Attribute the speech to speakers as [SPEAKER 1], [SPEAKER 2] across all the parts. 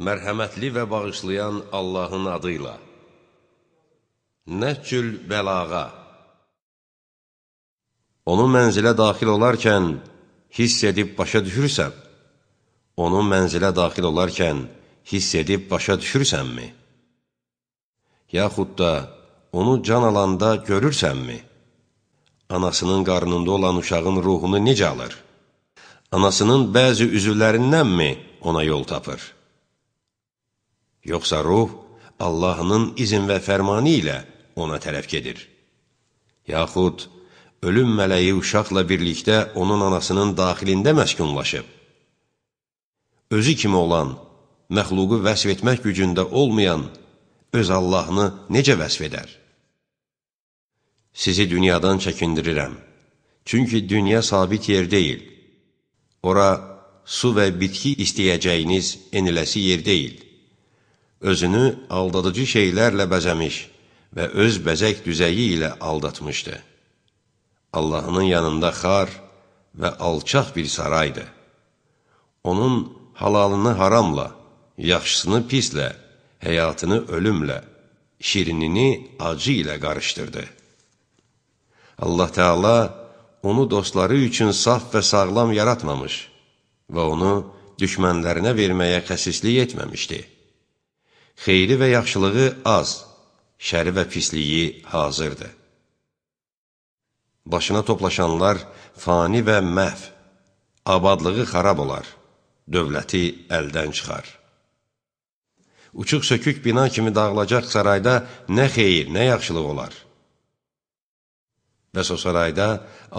[SPEAKER 1] Mərhəmətli və bağışlayan Allahın adıyla. Nəhcül bəlağa. Onu mənzilə daxil olarkən hiss edib başa düşürsən? Onu mənzilə daxil olarkən hiss edib başa düşürsənmi? Yaxud da onu can alanda görürsənmi? Anasının qarnında olan uşağın ruhunu necə alır? Anasının bəzi üzvlərindənmi ona yol tapır? Yoxsa ruh Allahının izin və fərmanı ilə ona tərəf gedir. Yaxud ölüm mələyi uşaqla birlikdə onun anasının daxilində məskunlaşıb. Özü kimi olan, məxluqu vəsf etmək gücündə olmayan öz Allahını necə vəsf edər? Sizi dünyadan çəkindirirəm. Çünki dünya sabit yer deyil. Ora su və bitki istəyəcəyiniz eniləsi yer deyil. Özünü aldadıcı şeylərlə bəzəmiş və öz bəzək düzəyi ilə aldatmışdı. Allahının yanında xar və alçaq bir saraydı. Onun halalını haramla, yaxşısını pislə, həyatını ölümlə, şirinini acı ilə qarışdırdı. Allah Teala onu dostları üçün saf və sağlam yaratmamış və onu düşmənlərinə verməyə xəsislik etməmişdi. Xeyri və yaxşılığı az, şəri və pisliyi hazırdır. Başına toplaşanlar fani və məhv, abadlığı xarab olar, dövləti əldən çıxar. Uçuq sökük bina kimi dağılacaq sarayda nə xeyir, nə yaxşılıq olar. Bəs o sarayda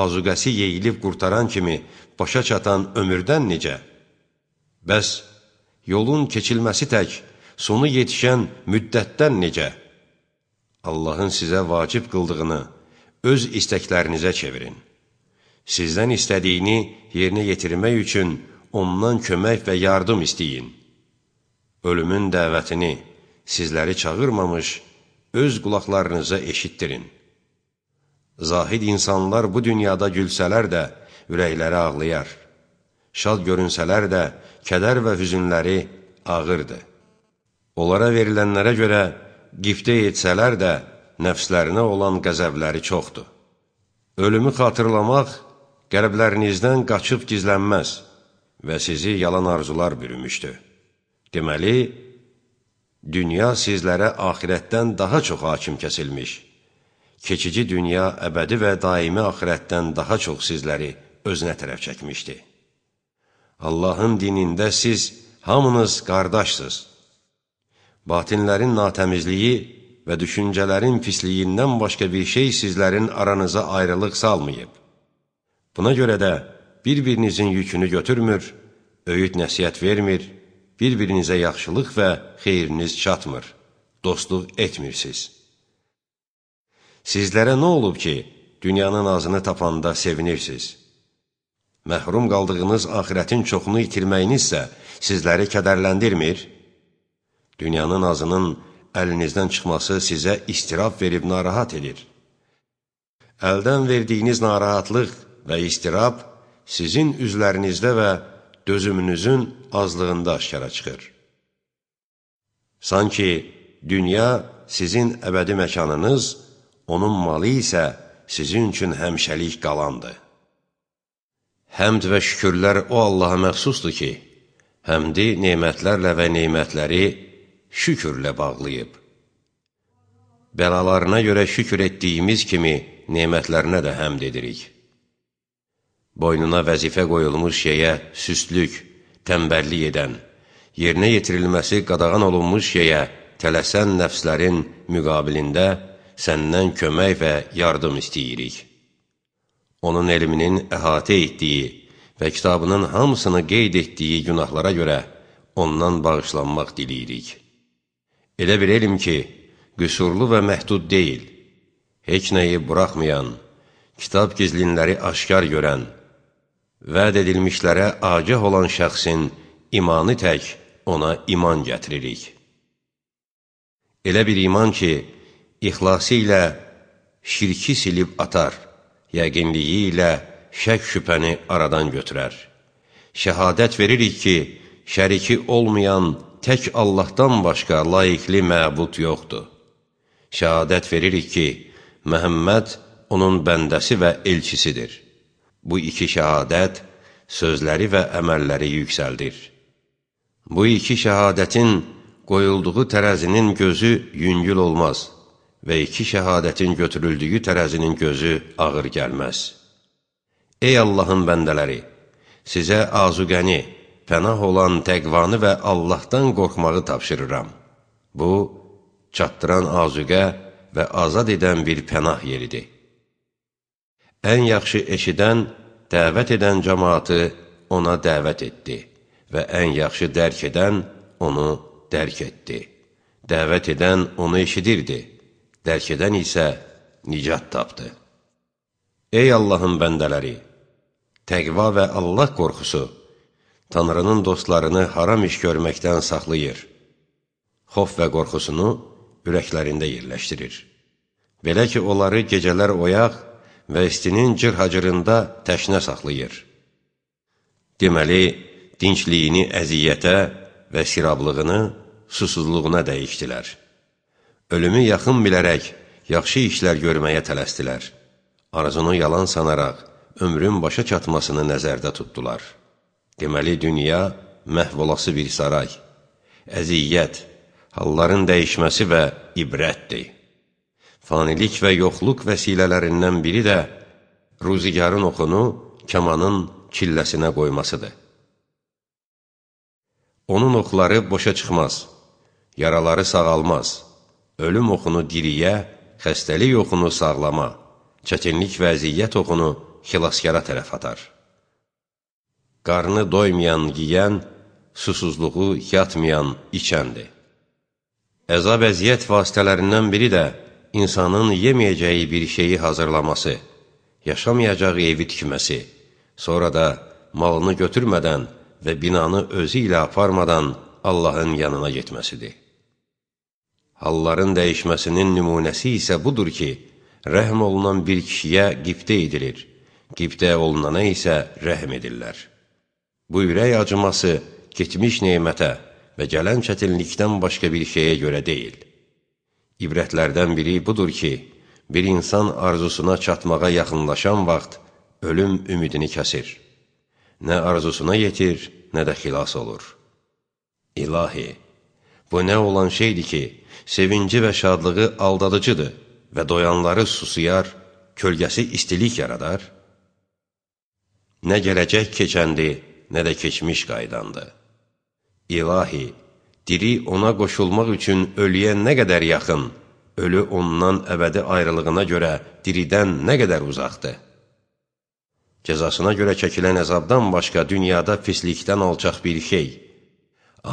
[SPEAKER 1] azuqəsi yeyilib qurtaran kimi başa çatan ömürdən necə? Bəs yolun keçilməsi tək, sonu yetişən müddətdən necə? Allahın sizə vacib qıldığını öz istəklərinizə çevirin. Sizdən istədiyini yerinə yetirmək üçün ondan kömək və yardım istəyin. Ölümün dəvətini sizləri çağırmamış, öz qulaqlarınıza eşitdirin. Zahid insanlar bu dünyada gülsələr də ürəkləri ağlayar. Şad görünsələr də kədər və hüzünləri ağırdır. Onlara verilənlərə görə qiftə etsələr də nəfslərinə olan qəzəbləri çoxdur. Ölümü xatırlamaq qəlblərinizdən qaçıb gizlənməz və sizi yalan arzular bürümüşdür. Deməli, dünya sizlərə axirətdən daha çox hakim kəsilmiş. Keçici dünya əbədi və daimi axirətdən daha çox sizləri özünə tərəf çəkmişdi. Allahın dinində siz hamınız qardaşsınız. Batinlərin natəmizliyi və düşüncələrin pisliyindən başqa bir şey sizlərin aranıza ayrılıq salmayıb. Buna görə də bir-birinizin yükünü götürmür, öyüd nəsihət vermir, bir-birinizə yaxşılıq və xeyriniz çatmır, dostluq etmirsiniz. Sizlərə nə olub ki, dünyanın azını tapanda sevinirsiniz? Məhrum qaldığınız axirətin çoxunu itirməyinizsə sizləri kədərləndirmir? Dünyanın azının əlinizdən çıxması sizə istirab verib narahat edir. Əldən verdiyiniz narahatlıq və istirab sizin üzlərinizdə və dözümünüzün azlığında aşkara çıxır. Sanki dünya sizin əbədi məkanınız, onun malı isə sizin üçün həmişəlik qalandır. Həmd və şükürlər o Allaha məxsusdur ki, həmdi nemətlərlə və nemətləri şükürlə bağlayıb. Bəlalarına görə şükür etdiyimiz kimi nemətlərinə də həmd edirik. Boynuna vəzifə qoyulmuş şeyə süstlük, tənbəllik edən, yerinə yetirilməsi qadağan olunmuş şeyə tələsən nəfslərin müqabilində səndən kömək və yardım istəyirik. Onun elminin əhatə etdiyi və kitabının hamısını qeyd etdiyi günahlara görə ondan bağışlanmaq diləyirik. Elə bir elm ki, qüsurlu və məhdud deyil, heç nəyi buraxmayan, kitab gizlinləri aşkar görən, vəd edilmişlərə agah olan şəxsin imanı tək ona iman gətiririk. Elə bir iman ki, İxlası ilə şirki silib atar, yəqinliyi ilə şək şübhəni aradan götürər. Şəhadət veririk ki, şəriki olmayan tək Allahdan başqa layiqli məbud yoxdur. Şəhadət veririk ki, Məhəmməd onun bəndəsi və elçisidir. Bu iki şəhadət sözləri və əməlləri yüksəldir. Bu iki şəhadətin qoyulduğu tərəzinin gözü yüngül olmaz və iki şəhadətin götürüldüyü tərəzinin gözü ağır gəlməz. Ey Allahın bəndələri! Sizə azuqəni, pənah olan təqvanı və Allahdan qorxmağı tapşırıram. Bu, çatdıran azuqə və azad edən bir pənah yeridir. Ən yaxşı eşidən, dəvət edən cəmaatı ona dəvət etdi və ən yaxşı dərk edən onu dərk etdi. Dəvət edən onu eşidirdi, dərk edən isə nicat tapdı. Ey Allahın bəndələri! Təqva və Allah qorxusu Tanrının dostlarını haram iş görməkdən saxlayır. Xof və qorxusunu ürəklərində yerləşdirir. Belə ki, onları gecələr oyaq və istinin cır-hacırında təşnə saxlayır. Deməli, dincliyini əziyyətə və sirablığını susuzluğuna dəyişdilər. Ölümü yaxın bilərək yaxşı işlər görməyə tələsdilər. Arzunu yalan sanaraq ömrün başa çatmasını nəzərdə tutdular. Deməli, dünya məhv olası bir saray, əziyyət, halların dəyişməsi və ibrətdir. Fanilik və yoxluq vəsilələrindən biri də ruzigarın oxunu kamanın çilləsinə qoymasıdır. Onun oxları boşa çıxmaz, yaraları sağalmaz, ölüm oxunu diriyə, xəstəlik oxunu sağlama, çətinlik və əziyyət oxunu xilaskara tərəf atar. Qarnı doymayan yiyən, susuzluğu yatmayan içəndir. Əzab-əziyyət vasitələrindən biri də insanın yeməyəcəyi bir şeyi hazırlaması, yaşamayacağı evi tikməsi, sonra da malını götürmədən və binanı özü ilə aparmadan Allahın yanına getməsidir. Halların dəyişməsinin nümunəsi isə budur ki, rəhm olunan bir kişiyə qibtə edilir, qibtə olunana isə rəhm edirlər. Bu ürək acıması getmiş neymətə və gələn çətinlikdən başqa bir şeyə görə deyil. İbrətlərdən biri budur ki, bir insan arzusuna çatmağa yaxınlaşan vaxt ölüm ümidini kəsir. Nə arzusuna yetir, nə də xilas olur. İlahi, bu nə olan şeydir ki, sevinci və şadlığı aldadıcıdır və doyanları susuyar, kölgəsi istilik yaradar? Nə gələcək keçəndi, nə də keçmiş qaydandı. İlahi, diri ona qoşulmaq üçün ölüyə nə qədər yaxın, ölü ondan əbədi ayrılığına görə diridən nə qədər uzaqdır. Cəzasına görə çəkilən əzabdan başqa dünyada pislikdən alçaq bir şey,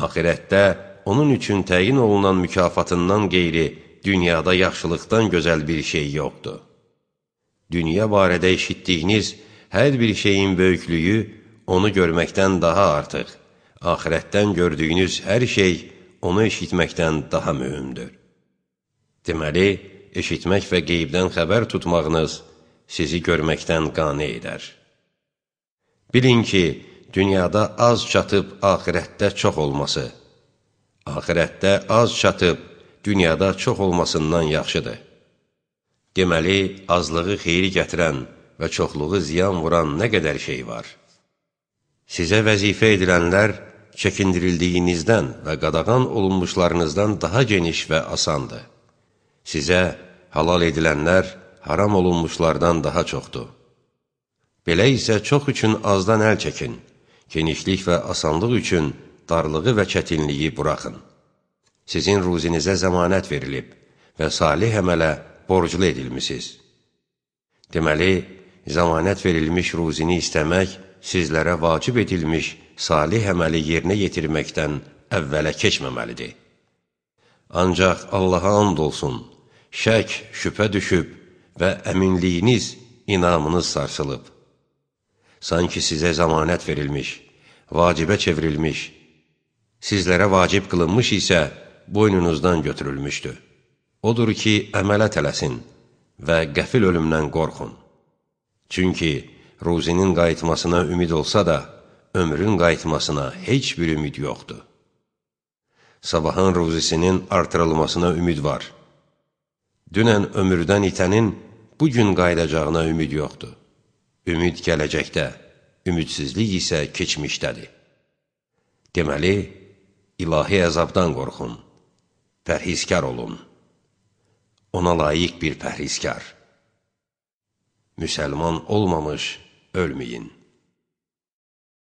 [SPEAKER 1] axirətdə onun üçün təyin olunan mükafatından qeyri dünyada yaxşılıqdan gözəl bir şey yoxdur. Dünya barədə eşitdiyiniz hər bir şeyin böyüklüyü onu görməkdən daha artıq, axirətdən gördüyünüz hər şey onu eşitməkdən daha mühümdür. Deməli, eşitmək və qeybdən xəbər tutmağınız sizi görməkdən qane edər. Bilin ki, dünyada az çatıb axirətdə çox olması, axirətdə az çatıb dünyada çox olmasından yaxşıdır. Deməli, azlığı xeyri gətirən və çoxluğu ziyan vuran nə qədər şey var. Sizə vəzifə edilənlər çəkindirildiyinizdən və qadağan olunmuşlarınızdan daha geniş və asandır. Sizə halal edilənlər haram olunmuşlardan daha çoxdur. Belə isə çox üçün azdan əl çəkin, genişlik və asanlıq üçün darlığı və çətinliyi buraxın. Sizin ruzinizə zəmanət verilib və salih əmələ borclu edilmisiniz. Deməli, zəmanət verilmiş ruzini istəmək sizlərə vacib edilmiş salih əməli yerinə yetirməkdən əvvələ keçməməlidir. Ancaq Allaha and olsun, şək, şübhə düşüb və əminliyiniz, inamınız sarsılıb. Sanki sizə zəmanət verilmiş, vacibə çevrilmiş, sizlərə vacib qılınmış isə boynunuzdan götürülmüşdür. Odur ki, əmələ tələsin və qəfil ölümdən qorxun. Çünki ruzinin qayıtmasına ümid olsa da, ömrün qayıtmasına heç bir ümid yoxdur. Sabahın ruzisinin artırılmasına ümid var. Dünən ömürdən itənin bugün qayıdacağına ümid yoxdur. Ümid gələcəkdə, ümidsizlik isə keçmişdədir. Deməli, ilahi əzabdan qorxun, pərhizkar olun. Ona layiq bir pərhizkar. Müsəlman olmamış ölməyin.